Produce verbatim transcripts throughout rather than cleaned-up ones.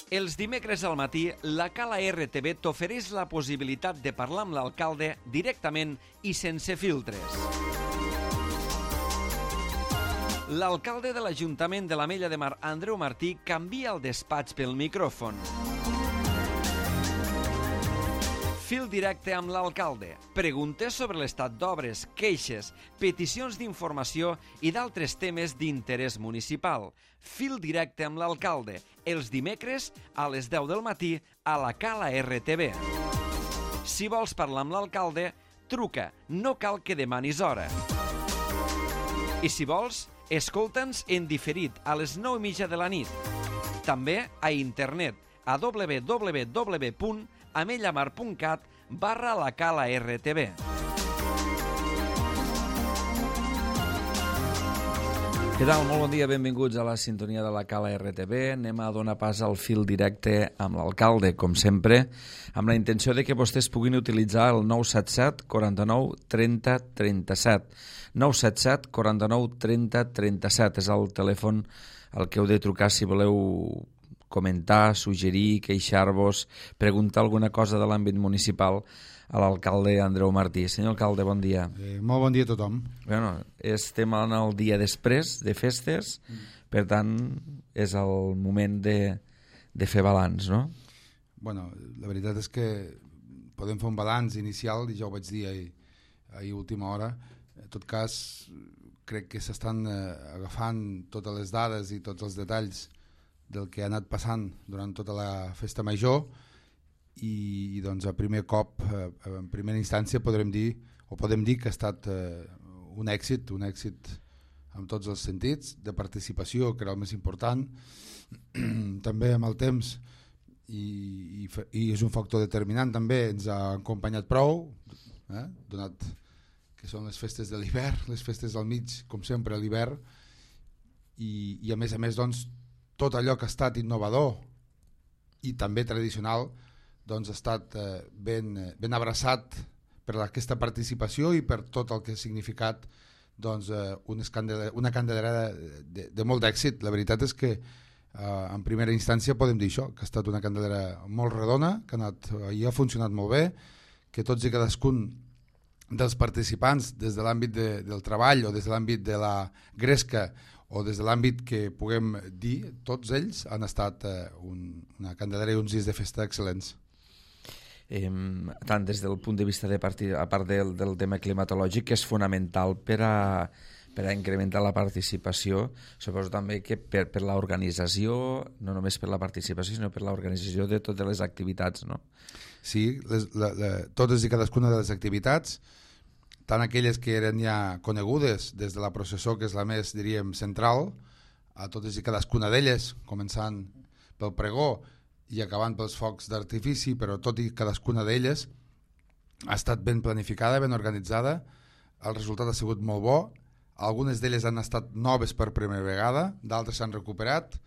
Els dimecres al matí, la Cala R T V t'ofereix la possibilitat de parlar amb l'alcalde directament i sense filtres. L'alcalde de l'Ajuntament de l'Ametlla de Mar, Andreu Martí, canvia el despatx pel micròfon. Fil directe amb l'alcalde. Preguntes sobre l'estat d'obres, queixes, peticions d'informació i d'altres temes d'interès municipal. Fil directe amb l'alcalde. Els dimecres a les deu del matí a la Cala R T V. Si vols parlar amb l'alcalde, truca. No cal que demanis hora. I si vols, escolta'ns en diferit a les nou i mitja de la nit. També a internet a w w w punt amellamar punt cat barra la Cala R T V. Què tal? Molt bon dia, benvinguts a la sintonia de la Cala R T V. Anem a donar pas al fil directe amb l'alcalde, com sempre, amb la intenció de que vostès puguin utilitzar el nou set set quaranta-nou trenta trenta-set. nou set set quaranta-nou trenta trenta-set és el telèfon al que heu de trucar si voleu comentar, suggerir, queixar-vos, preguntar alguna cosa de l'àmbit municipal a l'alcalde Andreu Martí. Senyor alcalde, bon dia. Eh, molt bon dia a tothom. Bueno, estem en el dia després de festes, mm. per tant, és el moment de, de fer balanç, no? Bueno, la veritat és que podem fer un balanç inicial, i ja ho vaig dir ahir, ahir a última hora. En tot cas, crec que s'estan eh, agafant totes les dades i tots els detalls del que ha anat passant durant tota la festa major i, i doncs a primer cop, eh, en primera instància podrem dir, o podem dir que ha estat eh, un èxit, un èxit en tots els sentits, de participació, que era el més important, també amb el temps, i, i, i és un factor determinant també, ens ha acompanyat prou, eh, donat que són les festes de l'hivern, les festes al mig, com sempre a l'hivern, i, i a més a més doncs tot allò que ha estat innovador i també tradicional doncs ha estat eh, ben, ben abraçat per aquesta participació i per tot el que ha significat doncs, eh, una, escandela, una candelera de, de, de molt d'èxit. La veritat és que eh, en primera instància podem dir això, que ha estat una candelera molt redona, que ha, anat, i ha funcionat molt bé, que tots i cadascun dels participants des de l'àmbit de, del treball o des de l'àmbit de la gresca o des de l'àmbit que puguem dir, tots ells han estat eh, un, una candelera i uns dies de festa excel·lents. Eh, tant des del punt de vista de partir, a part del, del tema climatològic, que és fonamental per a, per a incrementar la participació, suposo també que per, per l'organització, no només per la participació, sinó per l'organització de totes les activitats, no? Sí, les, la, la, totes i cadascuna de les activitats, tant aquelles que eren ja conegudes des de la processó, que és la més, diríem, central, a totes i cadascuna d'elles, començant pel pregó i acabant pels focs d'artifici, però tot i cadascuna d'elles ha estat ben planificada, ben organitzada, el resultat ha sigut molt bo, algunes d'elles han estat noves per primera vegada, d'altres s'han recuperat,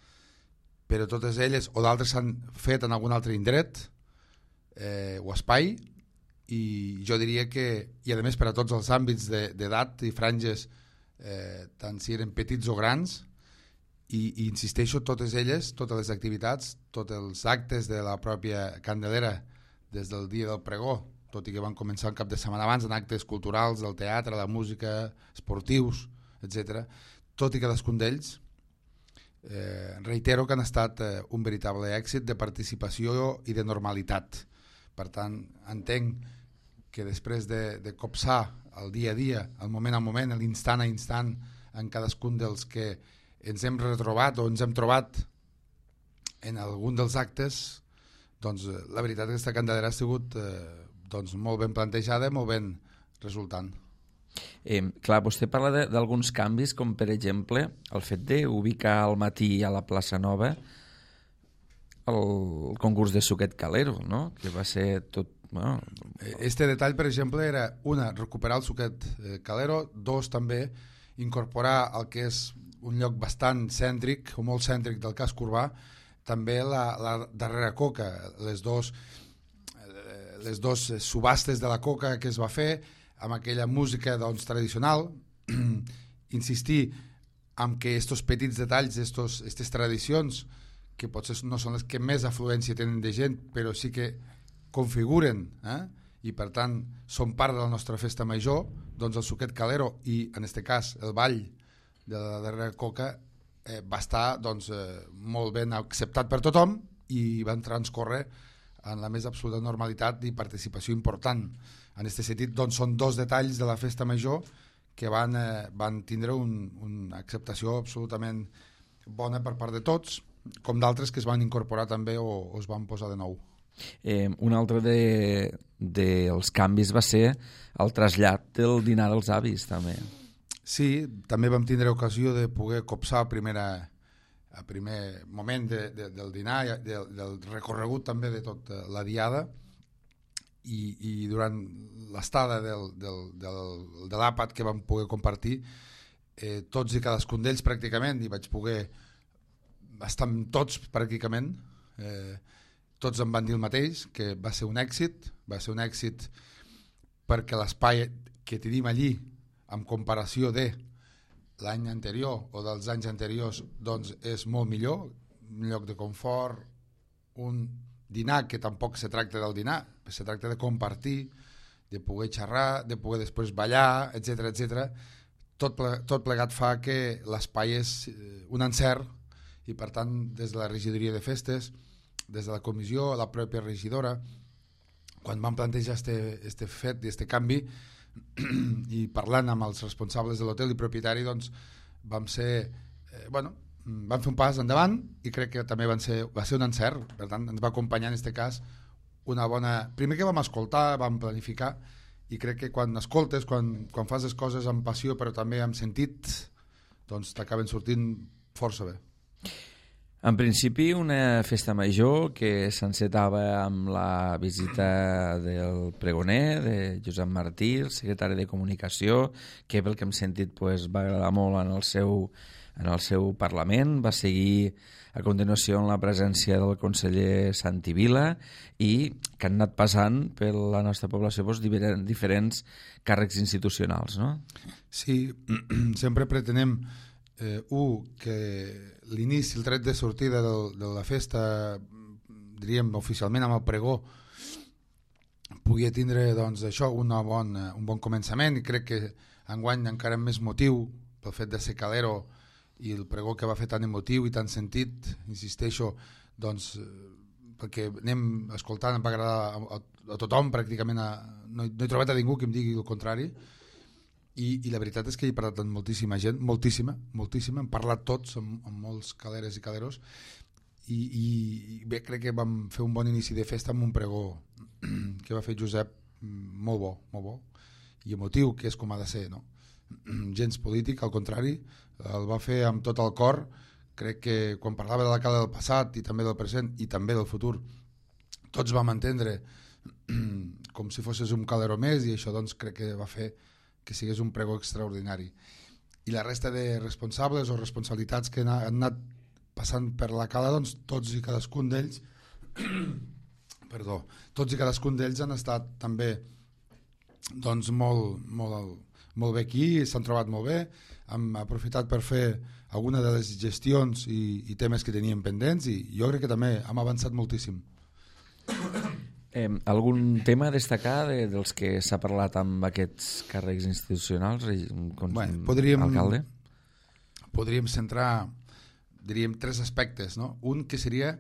però totes elles, o d'altres s'han fet en algun altre indret eh, o espai, i jo diria que, i a més per a tots els àmbits d'edat i franges, eh, tant si eren petits o grans, i, i insisteixo, totes elles, totes les activitats, tots els actes de la pròpia candelera des del dia del pregó, tot i que van començar un cap de setmana abans en actes culturals, del teatre, la música, esportius, etcètera. Tot i cadascun d'ells, eh, reitero que han estat eh, un veritable èxit de participació i de normalitat. Per tant, entenc que després de, de copsar el dia a dia, el moment a moment, l'instant a instant, en cadascun dels que ens hem retrobat o ens hem trobat en algun dels actes, doncs la veritat és que aquesta candelera ha sigut eh, doncs, molt ben plantejada, molt ben resultant. Eh, clar, vostè parla d'alguns canvis, com per exemple el fet d'ubicar al matí a la plaça Nova el concurs de suquet calero, no? Que va ser tot... Bueno... Este detall, per exemple, era una, recuperar el suquet eh, calero, dos, també incorporar el que és un lloc bastant cèntric o molt cèntric del casc urbà, també la, la darrera coca, les dos, eh, les dos subhastes de la coca que es va fer amb aquella música doncs, tradicional, insistir en que estos petits detalls, estos, estes tradicions que potser no són les que més afluència tenen de gent, però sí que configuren, eh? I per tant són part de la nostra festa major, doncs el Suquet Calero i en aquest cas el ball de la darrera coca eh, va estar doncs, eh, molt ben acceptat per tothom i van transcorrer en la més absoluta normalitat i participació important. En aquest sentit doncs, són dos detalls de la festa major que van, eh, van tindre un, una acceptació absolutament bona per part de tots, com d'altres que es van incorporar també o, o es van posar de nou. Eh, un altre dels de, de canvis va ser el trasllat del dinar dels avis, també. Sí, també vam tindre ocasió de poder copsar a, primera, a primer moment de, de, del dinar, de, del recorregut també de tota la diada, i, i durant l'estada del, del, del, de l'àpat que vam poder compartir, eh, tots i cadascun d'ells pràcticament, i vaig poder estar amb tots pràcticament, eh, tots em van dir el mateix, que va ser un èxit, va ser un èxit perquè l'espai que tenim allí, en comparació de l'any anterior o dels anys anteriors, doncs és molt millor, un lloc de confort, un dinar que tampoc se tracta del dinar, se tracta de compartir, de poder xerrar, de poder després ballar, etcètera, etcètera. Tot, ple, tot plegat fa que l'espai és un encert i per tant des de la regidoria de festes, des de la comissió, la pròpia regidora, quan vam plantejar este, este fet i este canvi i parlant amb els responsables de l'hotel i propietari, doncs vam ser, eh, bueno, vam fer un pas endavant i crec que també van ser, va ser un encert. Per tant, ens va acompanyar en aquest cas una bona... Primer que vam escoltar, vam planificar, i crec que quan escoltes, quan, quan fas les coses amb passió però també amb sentit, doncs t'acaben sortint força bé. En principi, una festa major que s'encetava amb la visita del pregoner, de Josep Martí, el secretari de Comunicació, que pel que hem sentit pues, va agradar molt en el seu, en el seu Parlament. Va seguir a continuació en la presència del conseller Santi Vila i que han anat passant per la nostra població pues, diferents càrrecs institucionals, no? Sí, sempre pretenem eh, un, que l'inici, el tret de sortida del, de la festa, diríem oficialment amb el pregó, podia tindre doncs, això, una bon, un bon començament, i crec que enguany encara amb més motiu pel fet de ser calero i el pregó que va fer tan emotiu i tan sentit, insisteixo, doncs, perquè anem escoltant, em va agradar a, a, a tothom pràcticament, a, no, no he trobat a ningú que em digui el contrari, i, i la veritat és que he parlat amb moltíssima gent, moltíssima, moltíssima, hem parlat tots amb, amb molts caleres i caleros, i, i, i bé, crec que vam fer un bon inici de festa amb un pregó que va fer Josep molt bo, molt bo, i emotiu, que és com ha de ser, no? Gens polític, al contrari, el va fer amb tot el cor. Crec que quan parlava de la cala del passat i també del present i també del futur, tots vam entendre com si fossis un calero més, i això doncs crec que va fer que sigués un pregó extraordinari. I la resta de responsables o responsabilitats que han anat passant per la cala, doncs tots i cadascun d'ells perdó, tots i cadascun d'ells han estat també doncs molt, molt, molt bé aquí, s'han trobat molt bé, hem aprofitat per fer alguna de les gestions i, i temes que teníem pendents, i jo crec que també hem avançat moltíssim. Eh, algun tema a destacar de, dels que s'ha parlat amb aquests càrrecs institucionals, com bueno, podríem, alcalde? Podríem centrar, diríem, tres aspectes, no? Un que seria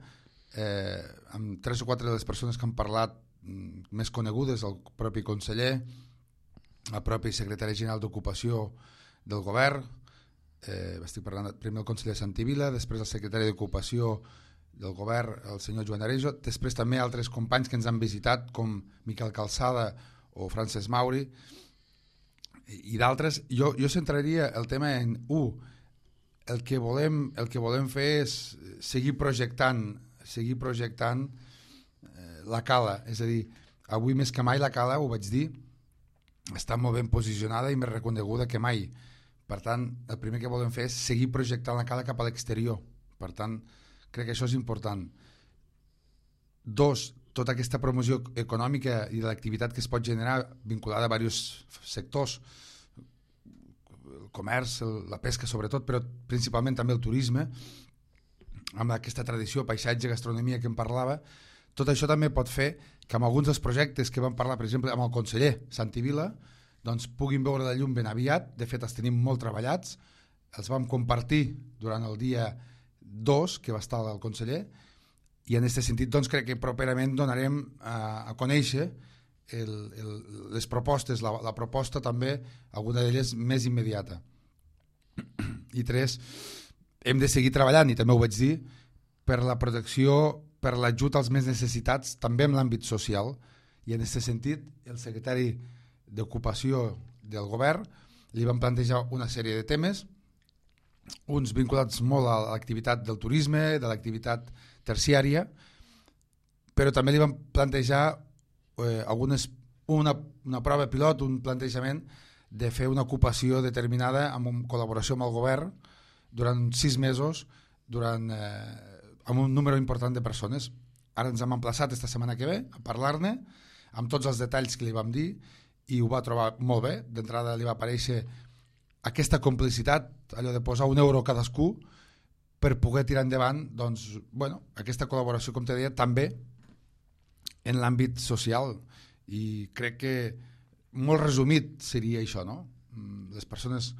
eh, amb tres o quatre de les persones que han parlat mm, més conegudes, el propi conseller, el propi secretari general d'Ocupació del govern, eh, estic parlant primer el conseller Santi Vila, després el secretari d'Ocupació del govern, el senyor Joan Arejo, després també altres companys que ens han visitat, com Miquel Calçada o Francesc Mauri, i, i d'altres. Jo, jo centraria el tema en, un, el que volem, el que volem fer és seguir projectant, seguir projectant eh, la cala, és a dir, avui més que mai la cala, ho vaig dir, està molt ben posicionada i més reconeguda que mai. Per tant, el primer que volem fer és seguir projectant la cala cap a l'exterior. Per tant, crec que això és important. Dos, tota aquesta promoció econòmica i de l'activitat que es pot generar vinculada a diversos sectors, el comerç, el, la pesca sobretot, però principalment també el turisme, amb aquesta tradició, paisatge, gastronomia que em parlava, tot això també pot fer que amb alguns dels projectes que vam parlar, per exemple, amb el conseller Santi Vila, doncs puguin veure la llum ben aviat. De fet, els tenim molt treballats, els vam compartir durant el dia dos que va estar el conseller, i en aquest sentit doncs, crec que properament donarem a, a conèixer el, el, les propostes, la, la proposta també, alguna d'elles més immediata. I tres, hem de seguir treballant, i també ho vaig dir, per la protecció, per l'ajut als més necessitats, també en l'àmbit social, i en aquest sentit el secretari d'Ocupació del govern li van plantejar una sèrie de temes, uns vinculats molt a l'activitat del turisme, de l'activitat terciària, però també li van plantejar eh, algunes, una, una prova pilot, un plantejament de fer una ocupació determinada amb una col·laboració amb el govern durant sis mesos, durant, eh, amb un número important de persones. Ara ens hem emplaçat esta setmana que ve a parlar-ne, amb tots els detalls que li vam dir, i ho va trobar molt bé. D'entrada li va aparèixer aquesta complicitat, allò de posar un euro cadascú per poder tirar endavant doncs, bueno, aquesta col·laboració, com te deia, també en l'àmbit social. I crec que molt resumit seria això, no? Les persones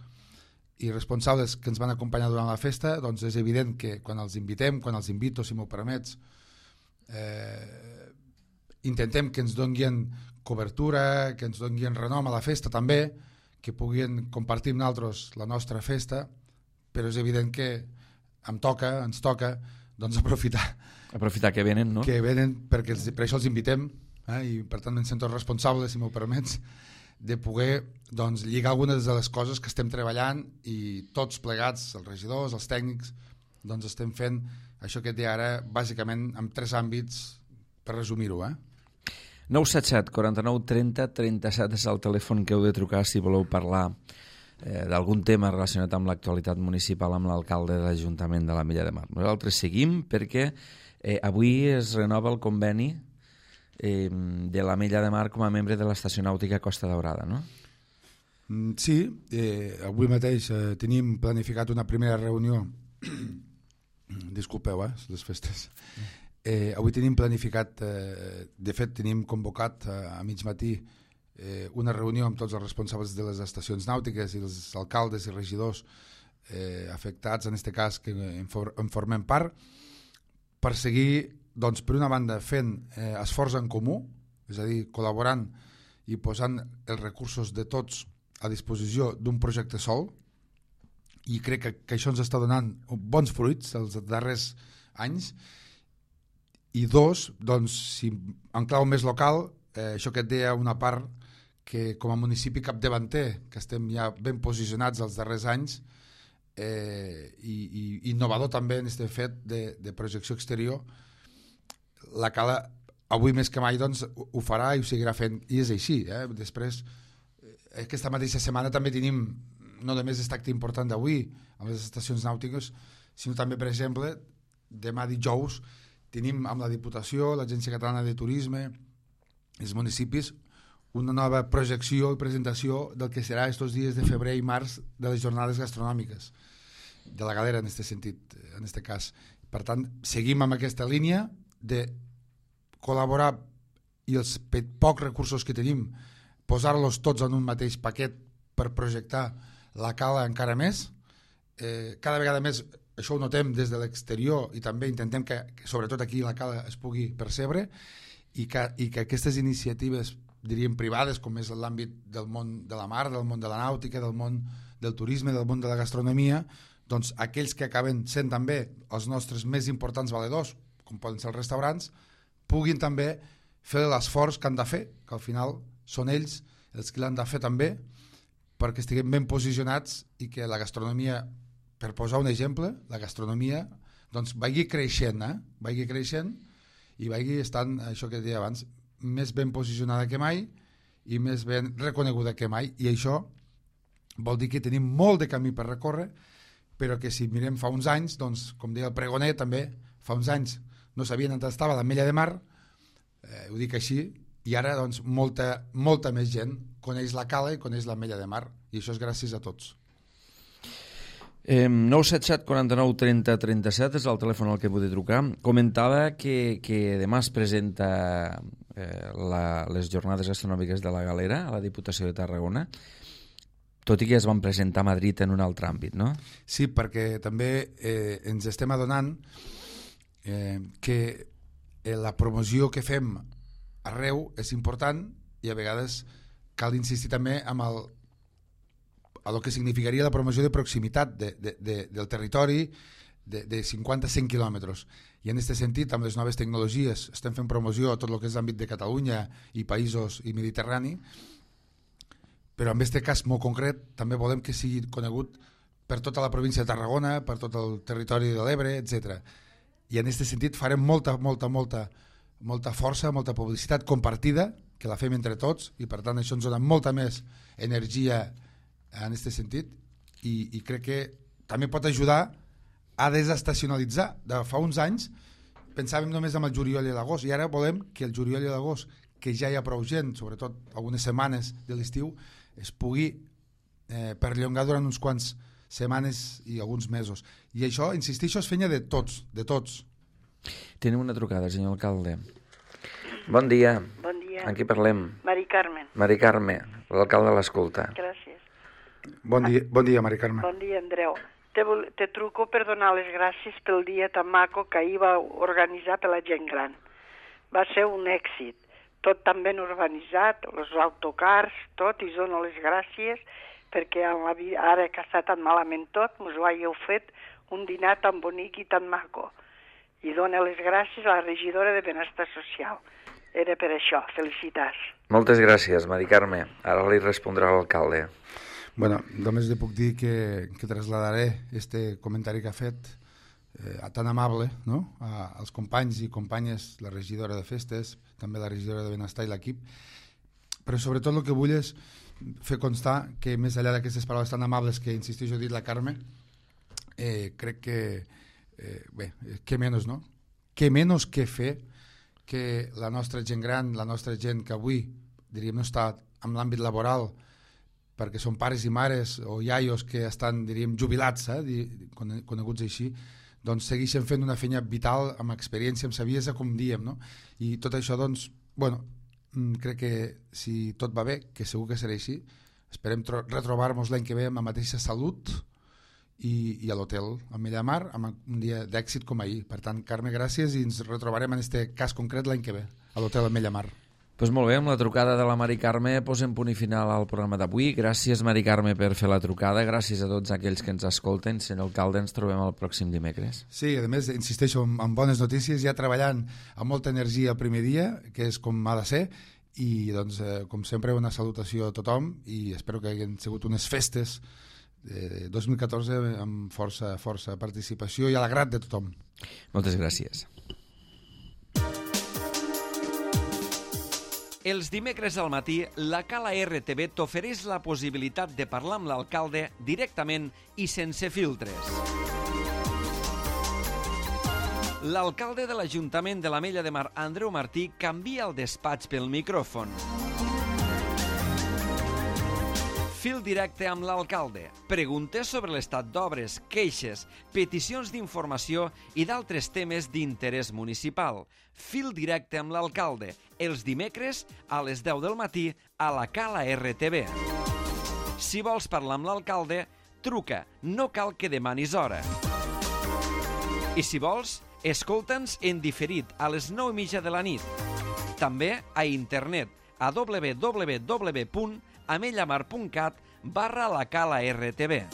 i responsables que ens van acompanyar durant la festa, doncs és evident que quan els invitem, quan els invito, si m'ho permets, eh, intentem que ens donguin cobertura, que ens donguin renom a la festa també, que puguin compartir amb nosaltres la nostra festa, però és evident que em toca, ens toca doncs aprofitar aprofitar que venen, no? Que venen, perquè els, per això els invitem, eh, i per tant em sento responsable, si m'ho permets, de poder doncs, lligar algunes de les coses que estem treballant, i tots plegats, els regidors, els tècnics, doncs estem fent això que et deia ara, bàsicament en tres àmbits, per resumir-ho, eh? nou set set, quaranta-nou, trenta, trenta-set és el telèfon que heu de trucar si voleu parlar eh, d'algun tema relacionat amb l'actualitat municipal amb l'alcalde de l'Ajuntament de l'Ametlla de Mar. Nosaltres seguim perquè eh, avui es renova el conveni eh, de l'Ametlla de Mar com a membre de l'Estació Nàutica Costa Daurada, no? Sí, eh, avui mateix eh, tenim planificat una primera reunió disculpeu, eh, les festes. Eh, avui tenim planificat, eh, de fet tenim convocat eh, a mig matí eh, una reunió amb tots els responsables de les estacions nàutiques i els alcaldes i regidors eh, afectats, en aquest cas que en, for, en formem part, per seguir, doncs, per una banda fent eh, esforç en comú, és a dir, col·laborant i posant els recursos de tots a disposició d'un projecte sol, i crec que, que això ens està donant bons fruits els darrers anys. I dos, doncs, si en clau més local, eh, això que et deia una part que com a municipi capdavanter, que estem ja ben posicionats els darrers anys, eh, i, i innovador també en aquest fet de, de projecció exterior, la Cala avui més que mai doncs, ho farà i ho seguirà fent, i és així. Eh? Després, aquesta mateixa setmana també tenim no només aquest acte important d'avui amb les estacions nàutiques, sinó també, per exemple, demà dijous tenim amb la Diputació, l'Agència Catalana de Turisme, els municipis, una nova projecció i presentació del que serà estos dies de febrer i març de les jornades gastronòmiques, de la galera en aquest sentit, en aquest cas. Per tant, seguim amb aquesta línia de col·laborar i els pocs recursos que tenim, posar-los tots en un mateix paquet per projectar la Cala encara més. Eh, cada vegada més això ho notem des de l'exterior i també intentem que, que sobretot aquí la Cala es pugui percebre i que, i que aquestes iniciatives, diríem privades, com és l'àmbit del món de la mar, del món de la nàutica, del món del turisme, del món de la gastronomia, doncs aquells que acaben sent també els nostres més importants valedors, com poden ser els restaurants, puguin també fer l'esforç que han de fer, que al final són ells els que l'han de fer també, perquè estiguem ben posicionats i que la gastronomia, per posar un exemple, la gastronomia doncs vagi creixent, eh? vagi creixent i vagi estant, això que deia abans, més ben posicionada que mai i més ben reconeguda que mai, i això vol dir que tenim molt de camí per recórrer, però que si mirem fa uns anys, doncs, com deia el pregoner també, fa uns anys no sabien on estava l'Ametlla de Mar, eh, ho dic així, i ara doncs, molta, molta més gent coneix la Cala i coneix l'Ametlla de Mar, i això és gràcies a tots. Eh, nou set set quaranta-nou trenta trenta-set és el telèfon al que podeu trucar. Comentava que, que demà es presenta eh, la, les jornades gastronòmiques de la Galera a la Diputació de Tarragona, tot i que es van presentar a Madrid en un altre àmbit, no? Sí, perquè també eh, ens estem adonant eh, que eh, la promoció que fem arreu és important i a vegades cal insistir també amb el a lo que significaria la promoció de proximitat de, de, de, del territori de, de cinquanta a cent quilòmetres. I en aquest sentit, amb les noves tecnologies, estem fent promoció a tot el que és l'àmbit de Catalunya i països i Mediterrani, però en aquest cas molt concret també volem que sigui conegut per tota la província de Tarragona, per tot el territori de l'Ebre, etcètera. I en aquest sentit farem molta, molta, molta, molta força, molta publicitat compartida, que la fem entre tots, i per tant això ens dona molta més energia en aquest sentit, i, i crec que també pot ajudar a desestacionalitzar. De fa uns anys pensàvem només en el juliol i l'agost, i ara volem que el juliol i l'agost, que ja hi ha prou gent, sobretot algunes setmanes de l'estiu, es pugui eh, perllongar durant uns quants setmanes i alguns mesos. I això, insisteixo, és feina de tots, de tots. Tenim una trucada, senyor alcalde. Bon dia. Bon dia. Amb qui parlem? Mari Carmen. Mari Carme, l'alcalde l'escolta. Gràcies. Bon dia, bon dia, Mari Carme. Bon dia, Andreu. Te, vol, te truco per donar les gràcies pel dia tan maco que ahir va organitzar per la gent gran. Va ser un èxit. Tot tan ben urbanitzat, els autocars, tot, i dono les gràcies perquè en la vida, ara que està tan malament tot, us ho hàgiu fet un dinar tan bonic i tan maco. I dono les gràcies a la regidora de Benestar Social. Era per això. Felicitats. Moltes gràcies, Mari Carme. Ara li respondrà l'alcalde. Bueno, només li puc dir que, que trasladaré este comentari que ha fet eh, tan amable, no? a, als companys i companyes, la regidora de Festes, també la regidora de Benestar i l'equip, però sobretot el que vull és fer constar que més enllà d'aquestes paraules tan amables que, insisteixo, ha dit la Carme, eh, crec que eh, bé, què menys, no? Què menys que fer que la nostra gent gran, la nostra gent que avui, diríem, no està en l'àmbit laboral, perquè són pares i mares o iaios que estan, diríem, jubilats, eh, coneguts així, doncs segueixen fent una feina vital, amb experiència, amb saviesa, com diem, no? I tot això, doncs, bueno, crec que si tot va bé, que segur que serà així, esperem retrobar-nos l'any que ve amb la mateixa salut i, i a l'hotel Amellamar, amb un dia d'èxit com ahir. Per tant, Carme, gràcies, i ens retrobarem en aquest cas concret l'any que ve, a l'hotel Amellamar. Pues molt bé, amb la trucada de la Mari Carme posem punt i final al programa d'avui. Gràcies, Mari Carme, per fer la trucada. Gràcies a tots aquells que ens escolten. Senyor alcalde, ens trobem el pròxim dimecres. Sí, a més, insisteixo, amb bones notícies, ja treballant amb molta energia el primer dia, que és com ha de ser, i doncs, eh, com sempre, una salutació a tothom, i espero que hagin sigut unes festes de dos mil catorze amb força, força participació i a l'agrat de tothom. Moltes gràcies. Els dimecres al matí, la Cala R T V t'ofereix la possibilitat de parlar amb l'alcalde directament i sense filtres. L'alcalde de l'Ajuntament de l'Ametlla de Mar, Andreu Martí, canvia el despatx pel micròfon. Fil directe amb l'alcalde. Preguntes sobre l'estat d'obres, queixes, peticions d'informació i d'altres temes d'interès municipal. Fil directe amb l'alcalde. Els dimecres a les deu del matí a la Cala R T V. Si vols parlar amb l'alcalde, truca. No cal que demanis hora. I si vols, escolta'ns en diferit a les nou i mitja de la nit. També a internet a w w w punt amellamar punt cat barra la Cala R T V.